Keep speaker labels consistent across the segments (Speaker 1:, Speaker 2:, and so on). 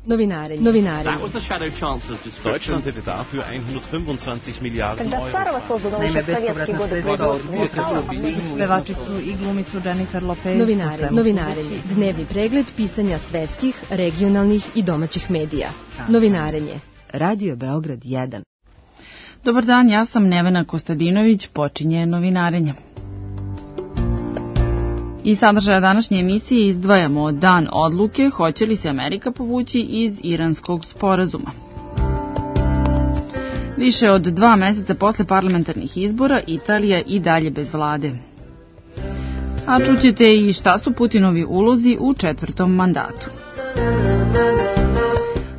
Speaker 1: Novinarenje.
Speaker 2: That was the Shadow Chancellor's description.
Speaker 3: Deutschland hätte dafür 125 Milijarden
Speaker 4: Когда Царова создана еще в советские годы
Speaker 5: Pevačicu i glumicu Jennifer Lopez.
Speaker 1: Novinarenje. Dnevni pregled pisanja svetskih, regionalnih i domaćih medija. Novinarenje.
Speaker 6: Radio Beograd 1.
Speaker 5: Dobar dan, ja sam Nevena Kostadinović, počinje Novinarenje. Iz sadržaja današnje emisije izdvajamo dan odluke hoće li se Amerika povući iz iranskog sporazuma. Više od 2 meseca posle parlamentarnih izbora Italija i dalje bez vlade. A čućete i šta su Putinovi ulozi u 4. mandatu.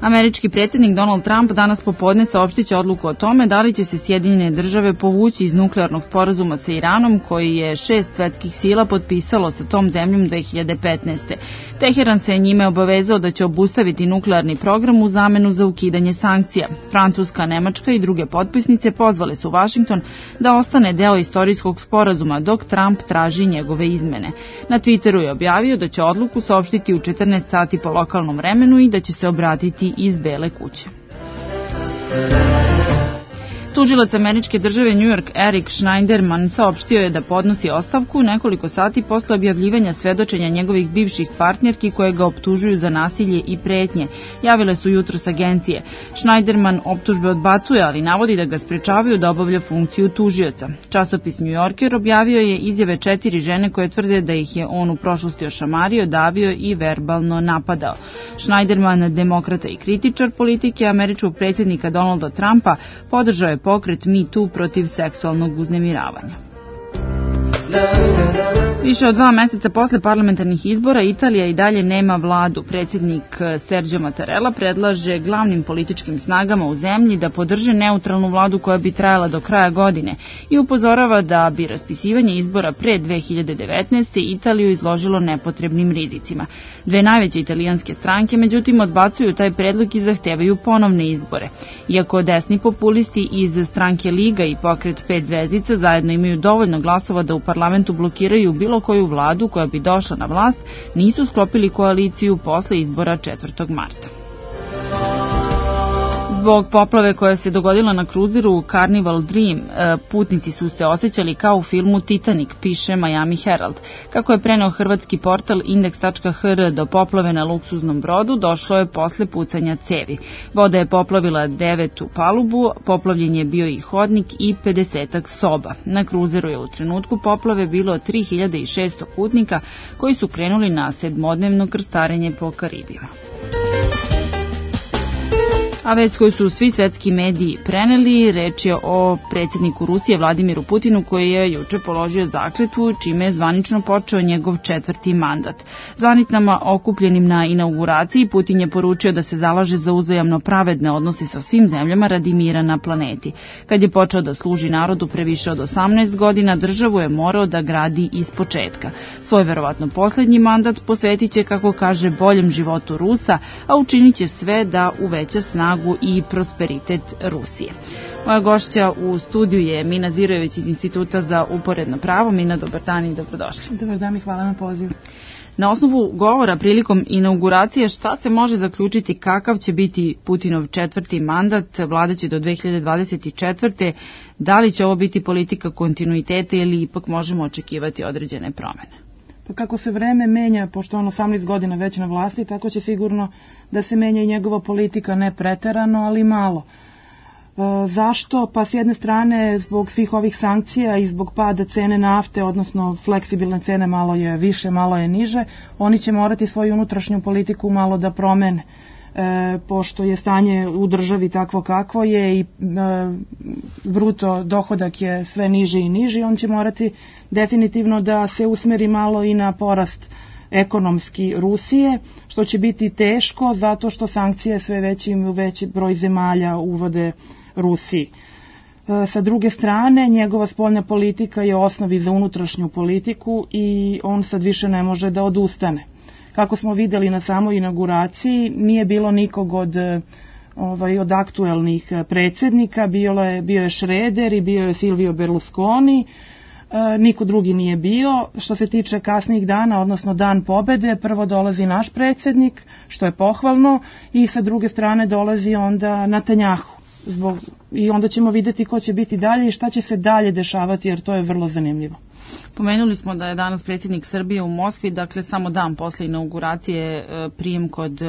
Speaker 5: Američki predsjednik Donald Trump danas popodne saopštiće odluku o tome da li će se Sjedinjene države povući iz nuklearnog sporazuma sa Iranom koji je 6 svetskih sila potpisalo sa tom zemljom 2015. Teheran se njime obavezao da će obustaviti nuklearni program u zamenu za ukidanje sankcija. Francuska, Nemačka i druge potpisnice pozvale su Washington da ostane deo istorijskog sporazuma dok Trump traži njegove izmene. Na Twitteru je objavio da će odluku saopštiti u 14 sati po lokalnom vremenu i da će se obratiti iz Bele kuće. Tužilac američke države New York Eric Schneiderman saopštio je da podnosi ostavku nekoliko sati posle objavljivanja svedočenja njegovih bivših partnerki koje ga optužuju za nasilje i pretnje. Javile su jutros agencije. Schneiderman optužbe odbacuje, ali navodi da ga sprečavaju da obavlja funkciju tužioca. Časopis New Yorker objavio je izjave 4 žene koje tvrde da ih je on u prošlosti ošamario, davio i verbalno napadao. Schneiderman, demokrata i kritičar politike američkog predsjednika Donalda Trumpa, podržao je pokret Me Too protiv seksualnog uznemiravanja. Više od 2 meseca posle parlamentarnih izbora Italija i dalje nema vladu. Predsjednik Sergio Mattarella predlaže glavnim političkim snagama u zemlji da podrže neutralnu vladu koja bi trajala do kraja godine i upozorava da bi raspisivanje izbora pre 2019. Italiju izložilo nepotrebnim rizicima. 2 najveće italijanske stranke međutim odbacuju taj predlog i zahtevaju ponovne izbore. Iako desni populisti iz stranke Liga i pokret 5 zvezdica zajedno imaju dovoljno glasova da u parlamentu blokiraju bilo koju vladu koja bi došla na vlast, nisu sklopili koaliciju posle izbora 4. marta. Zbog poplave koja se dogodila na kruzeru Carnival Dream, putnici su se osjećali kao u filmu Titanic, piše Miami Herald. Kako je preneo hrvatski portal Index.hr, do poplave na luksuznom brodu došlo je posle pucanja cevi. Voda je poplavila 9. palubu, poplavljen je bio i hodnik i 50 soba. Na kruzeru je u trenutku poplave bilo 3600 putnika koji su krenuli na 7-dnevno krstarenje po Karibima. A vest koju su svi svetski mediji preneli, reč je o predsjedniku Rusije Vladimiru Putinu koji je juče položio zakletvu čime je zvanično počeo njegov 4. mandat. Zvanicama okupljenim na inauguraciji Putin je poručio da se zalaže za uzajamno pravedne odnose sa svim zemljama radi mira na planeti. Kad je počeo da služi narodu pre više od 18 godina, državu je morao da gradi ispočetka. Svoj verovatno posljednji mandat posvetit će, kako kaže, boljem životu Rusa, a učinit će sve da uveća snagu i prosperitet Rusije. Moja gošća u studiju je Mina Zirojević iz Instituta za uporedno pravo. Mina, dobar dan i dobrodošli.
Speaker 7: Dobar dan i hvala na pozivu.
Speaker 5: Na osnovu govora prilikom inauguracije, šta se može zaključiti kakav će biti Putinov 4. mandat, vladaće do 2024. Da li će ovo biti politika kontinuiteta ili ipak možemo očekivati određene promene?
Speaker 7: Pa kako se vreme menja, pošto on 18 godina već na vlasti, tako će sigurno da se menja i njegova politika, ne preterano, ali malo. Zašto? Pa s jedne strane zbog svih ovih sankcija i zbog pada cene nafte, odnosno fleksibilne cene, malo je više, malo je niže, oni će morati svoju unutrašnju politiku malo da promene. Pošto je stanje u državi takvo kakvo je i bruto dohodak je sve niži i niži, on će morati definitivno da se usmeri malo i na porast ekonomski Rusije, što će biti teško zato što sankcije sve veći broj zemalja uvode Rusiji. Sa druge strane, njegova spoljna politika je osnovi za unutrašnju politiku i on sad više ne može da odustane. Kako smo videli na samoj inauguraciji, nije bilo nikog od aktuelnih predsjednika, bio je Schröder i bio je Silvio Berlusconi, niko drugi nije bio. Što se tiče kasnijih dana, odnosno dan pobede, prvo dolazi naš predsjednik, što je pohvalno, i sa druge strane dolazi onda Netanjahu. I onda ćemo vidjeti ko će biti dalje i šta će se dalje dešavati, jer to je vrlo zanimljivo.
Speaker 5: Pomenuli smo da je danas predsjednik Srbije u Moskvi, dakle samo dan posle inauguracije prijem kod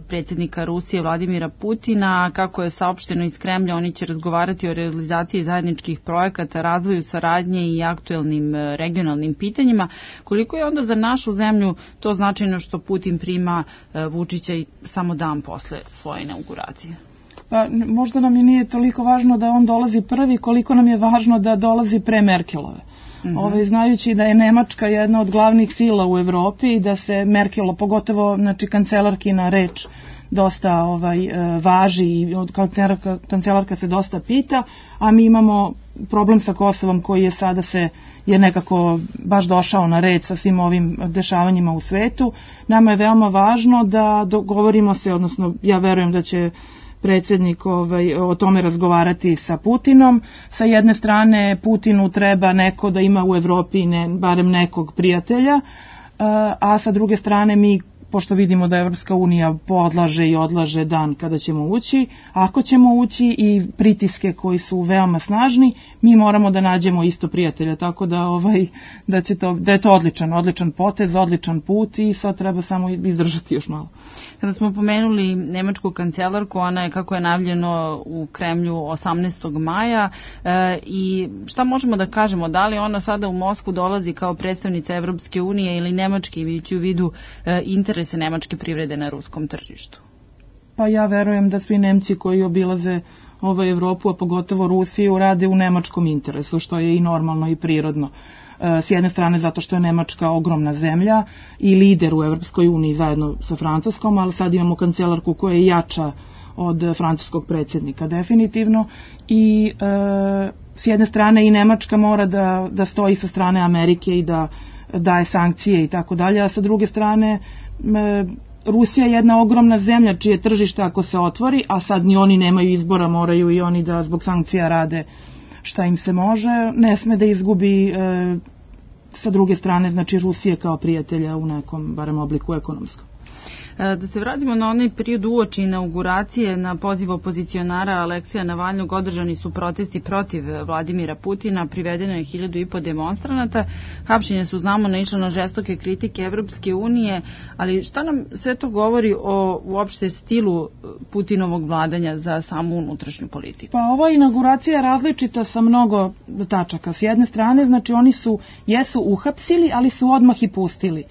Speaker 5: predsjednika Rusije Vladimira Putina. Kako je saopšteno iz Kremlja, oni će razgovarati o realizaciji zajedničkih projekata, razvoju saradnje i aktuelnim regionalnim pitanjima. Koliko je onda za našu zemlju to značajno što Putin prima Vučića samo dan posle svoje inauguracije?
Speaker 7: Pa, možda nam i nije toliko važno da on dolazi prvi, koliko nam je važno da dolazi pre Merkelove. Znajući da je Nemačka jedna od glavnih sila u Evropi i da se Merkel, pogotovo kancelarkina reč, dosta važi i kancelarka se dosta pita, a mi imamo problem sa Kosovom koji je sada je nekako baš došao na red sa svim ovim dešavanjima u svetu. Nama je veoma važno da dogovorimo se, odnosno ja verujem da će predsjednik o tome razgovarati sa Putinom. Sa jedne strane Putinu treba neko da ima u Evropi barem nekog prijatelja, a sa druge strane mi, pošto vidimo da Evropska unija odlaže i odlaže dan kada ćemo ući, ako ćemo ući i pritiske koji su veoma snažni, mi moramo da nađemo isto prijatelja, tako da da je to odličan potez, odličan put i sad treba samo izdržati još malo.
Speaker 5: Kada smo pomenuli nemačku kancelarku, ona je, kako je najavljeno, u Kremlju 18. maja i šta možemo da kažemo, da li ona sada u Moskvu dolazi kao predstavnica Evropske unije ili Nemačke, imajući u vidu interese nemačke privrede na ruskom tržištu?
Speaker 7: Pa ja verujem da svi Nemci koji obilaze Evropu, a pogotovo Rusiju, rade u nemačkom interesu, što je i normalno i prirodno. S jedne strane zato što je Nemačka ogromna zemlja i lider u Evropskoj uniji zajedno sa Francuskom, ali sad imamo kancelarku koja je jača od francuskog predsjednika definitivno i s jedne strane i Nemačka mora da stoji sa strane Amerike i da daje sankcije i tako dalje, a sa druge strane Rusija je jedna ogromna zemlja čije tržište ako se otvori, a sad ni oni nemaju izbora, moraju i oni da zbog sankcija rade šta im se može, ne sme da izgubi sa druge strane, znači Rusije kao prijatelja u nekom, barem obliku ekonomskom.
Speaker 5: Da se vratimo na onaj period uoči inauguracije, na poziv opozicionara Aleksija Navalnog održani su protesti protiv Vladimira Putina, privedeno je 1.500 demonstranata, hapšenje su, znamo, naišlo na žestoke kritike Evropske unije, ali šta nam sve to govori o uopšte stilu Putinovog vladanja za samu unutrašnju politiku?
Speaker 7: Pa ova inauguracija je različita sa mnogo tačaka. S jedne strane, znači oni jesu uhapsili, ali su odmah i pustili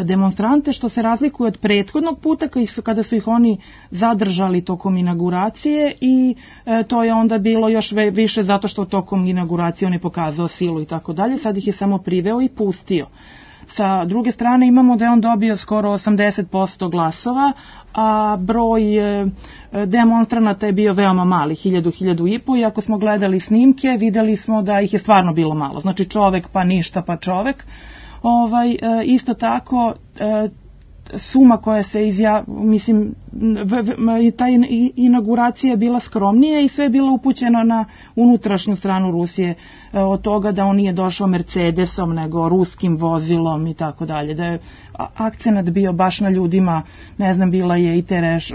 Speaker 7: demonstrante, što se razlikuje od prethodnog puta kada su ih oni zadržali tokom inauguracije i to je onda bilo još više zato što tokom inauguracije on je pokazao silu i tako dalje, sad ih je samo priveo i pustio. Sa druge strane imamo da je on dobio skoro 80% glasova, a broj demonstranata je bio veoma mali, 1.000-1.500, i ako smo gledali snimke videli smo da ih je stvarno bilo malo, znači čovek pa ništa pa čovek. Isto tako suma koja se ta inauguracija je bila skromnija i sve je bilo upućeno na unutrašnju stranu Rusije, od toga da on nije došao Mercedesom nego ruskim vozilom i tako dalje, da je akcenat bio baš na ljudima, ne znam, bila je i Tereš,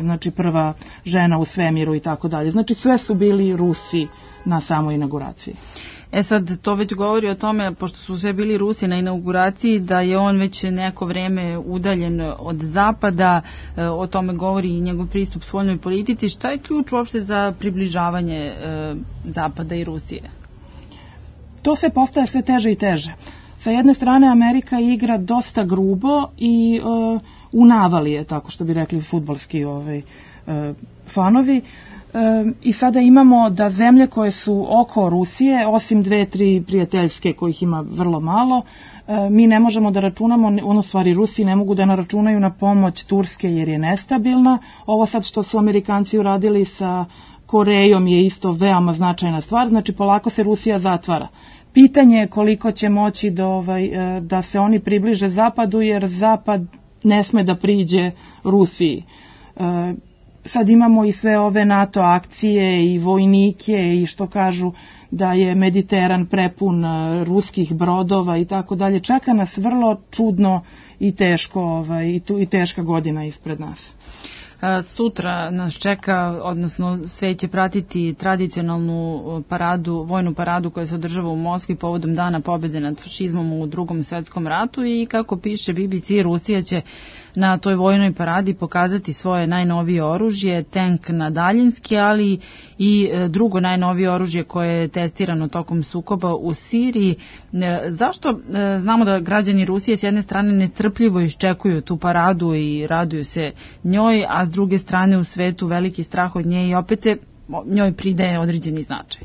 Speaker 7: znači prva žena u svemiru i tako dalje, znači sve su bili Rusi na samoj inauguraciji.
Speaker 5: Sad, to već govori o tome, pošto su sve bili Rusi na inauguraciji, da je on već neko vreme udaljen od Zapada, o tome govori i njegov pristup spoljnoj politici. Šta je ključ uopšte za približavanje Zapada i Rusije?
Speaker 7: To se postaje sve teže i teže. Sa jedne strane Amerika igra dosta grubo i unavali je, tako što bi rekli fudbalski fanovi. I sada imamo da zemlje koje su oko Rusije, osim 2-3 prijateljske kojih ima vrlo malo, mi ne možemo da računamo, stvari Rusi ne mogu da naračunaju na pomoć Turske jer je nestabilna. Ovo sad što su Amerikanci uradili sa Korejom je isto veoma značajna stvar, znači polako se Rusija zatvara. Pitanje je koliko će moći da se oni približe Zapadu, jer Zapad ne sme da priđe Rusiji. sad imamo i sve ove NATO akcije i vojnike i što kažu da je Mediteran prepun ruskih brodova i tako dalje. Čeka nas vrlo čudno i teško i teška godina ispred nas.
Speaker 5: Sutra nas čeka, odnosno svet će pratiti tradicionalnu paradu, vojnu paradu koja se održava u Moskvi povodom Dana pobjede nad fašizmom u Drugom svetskom ratu i kako piše BBC, Rusija će na toj vojnoj paradi pokazati svoje najnovije oružje, tank na daljinski, ali i drugo najnovije oružje koje je testirano tokom sukoba u Siriji. Zašto znamo da građani Rusije s jedne strane nestrpljivo iščekuju tu paradu i raduju se njoj, a s druge strane u svetu veliki strah od nje i opet se njoj pridaje određeni značaj?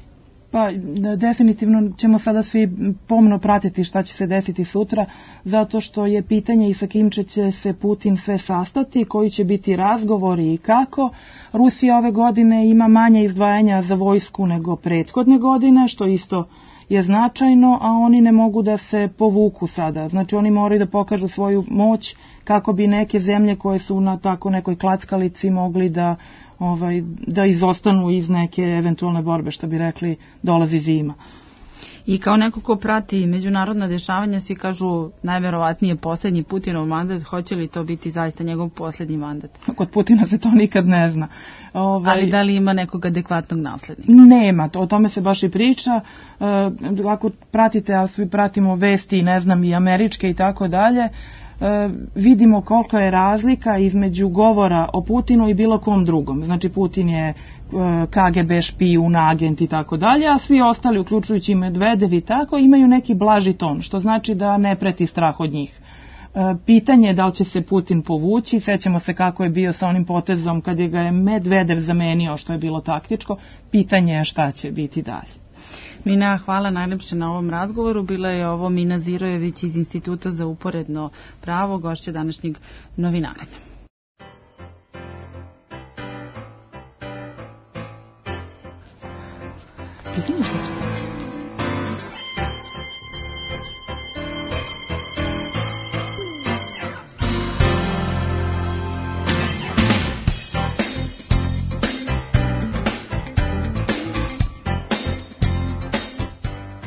Speaker 7: Pa definitivno ćemo sada svi pomno pratiti šta će se desiti sutra, zato što je pitanje i sa kim će se Putin sve sastati, koji će biti razgovori i kako. Rusija ove godine ima manje izdvajanja za vojsku nego prethodne godine, što isto je značajno, a oni ne mogu da se povuku sada. Znači oni moraju da pokažu svoju moć kako bi neke zemlje koje su na tako nekoj klackalici mogli da izostanu iz neke eventualne borbe, što bi rekli, dolazi zima.
Speaker 5: I kao neko ko prati međunarodna dešavanja, svi kažu najverovatnije posljednji Putinov mandat, hoće li to biti zaista njegov posljednji mandat?
Speaker 7: Kod Putina se to nikad ne zna.
Speaker 5: Ali da li ima nekog adekvatnog naslednika?
Speaker 7: Nema, o tome se baš i priča. Ako pratite, a svi pratimo vesti, ne znam, i američke i tako dalje, vidimo koliko je razlika između govora o Putinu i bilo kom drugom. Znači Putin je KGB špijun, agent i tako dalje, a svi ostali, uključujući i Medvedev i tako, imaju neki blaži ton, što znači da ne preti strah od njih. Pitanje je da li će se Putin povući, sećamo se kako je bio sa onim potezom kad je ga je Medvedev zamenio, što je bilo taktičko, pitanje je šta će biti dalje.
Speaker 5: Mina, hvala najlepše na ovom razgovoru. Bila je ovo Mina Zirojević iz Instituta za uporedno pravo, gošća današnjeg novinarenja.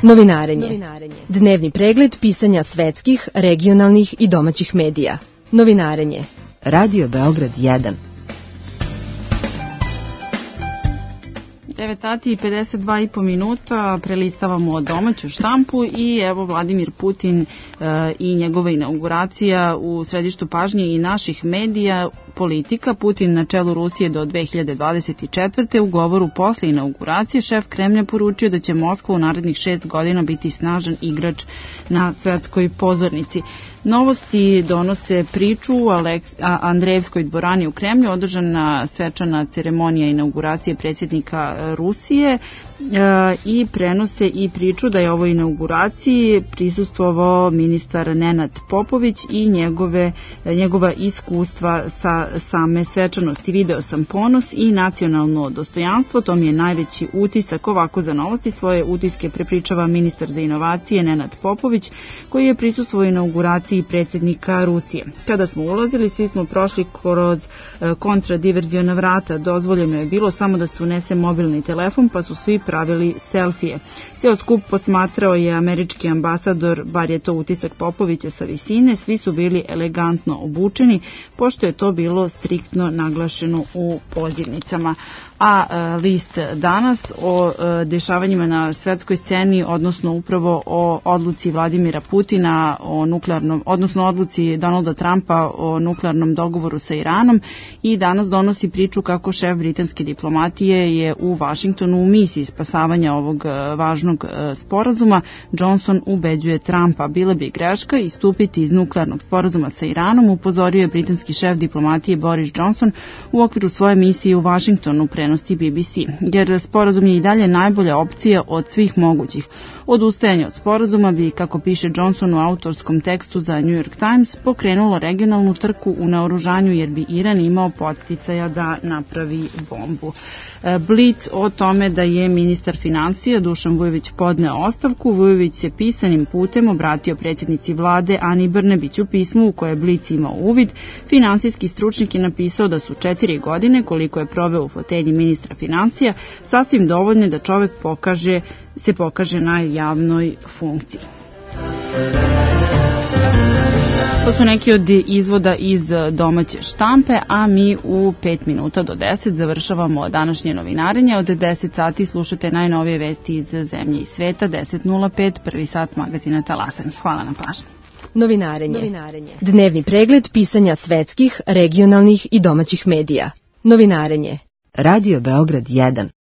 Speaker 1: Novinarenje. Dnevni pregled pisanja svetskih, regionalnih i domaćih medija. Novinarenje.
Speaker 6: Radio Beograd 1.
Speaker 5: 9 sati i 52,5 minuta, prelistavamo domaću štampu i evo Vladimir Putin i njegova inauguracija u središtu pažnje i naših medija. Politika, Putin na čelu Rusije do 2024. U govoru posle inauguracije šef Kremlja poručio da će Moskva u narednih 6 godina biti snažan igrač na svetskoj pozornici. Novosti donose priču u Andreevskoj dvorani u Kremlju, održana svečana ceremonija inauguracije predsjednika Rusije i prenose i priču da je ovoj inauguraciji prisustvovao ministar Nenad Popović i njegova iskustva sa same svečanosti. Video sam ponos i nacionalno dostojanstvo, to mi je najveći utisak. Ovako za Novosti svoje utiske prepričava ministar za inovacije Nenad Popović, koji je prisustvovao inauguraciji predsjednika Rusije. Kada smo ulazili, svi smo prošli kroz kontradiverziona vrata. Dozvoljeno je bilo samo da se unese mobilni telefon, pa su svi pravili selfije. Cijel skup posmatrao je američki ambasador, bar je to utisak Popovića sa visine. Svi su bili elegantno obučeni, pošto je to bilo striktno naglašeno u pozivnicama. A list Danas o dešavanjima na svetskoj sceni, odnosno upravo o odluci Vladimira Putina odnosno odluci Donalda Trumpa o nuklearnom dogovoru sa Iranom, i danas donosi priču kako šef britanske diplomatije je u Vašingtonu u misiji spasavanja ovog važnog sporazuma. Johnson ubeđuje Trumpa, bila bi greška istupiti iz nuklearnog sporazuma sa Iranom, upozorio je britanski šef diplomatije Boris Johnson u okviru svoje misije u Vašingtonu, prenosi BBC, jer sporazum je i dalje najbolja opcija od svih mogućih. Odustajanje od sporazuma bi, kako piše Johnson u autorskom tekstu za New York Times, pokrenulo regionalnu trku u naoružanju, jer bi Iran imao podsticaja da napravi bombu. Blitz o tome da je ministar finansija Dušan Vujović podneo ostavku. Vujović se pisanim putem obratio predsjednici vlade Ani Brnabić. U pismu u koje je Blic imao uvid, finansijski stručnjak je napisao da su 4 godine, koliko je proveo u fotelji ministra finansija, sasvim dovoljne da čovek se pokaže na javnoj funkciji. To su neki od izvoda iz domaće štampe, a mi u 5 minuta do 10 završavamo današnje novinarenje. Od 10 sati slušate najnovije vesti iz zemlje i sveta. 10.05, prvi sat magazina Talasanje. Hvala na pažnji.
Speaker 1: Novinarenje. Dnevni pregled pisanja svetskih, regionalnih i domaćih medija. Novinarenje.
Speaker 6: Radio Beograd 1.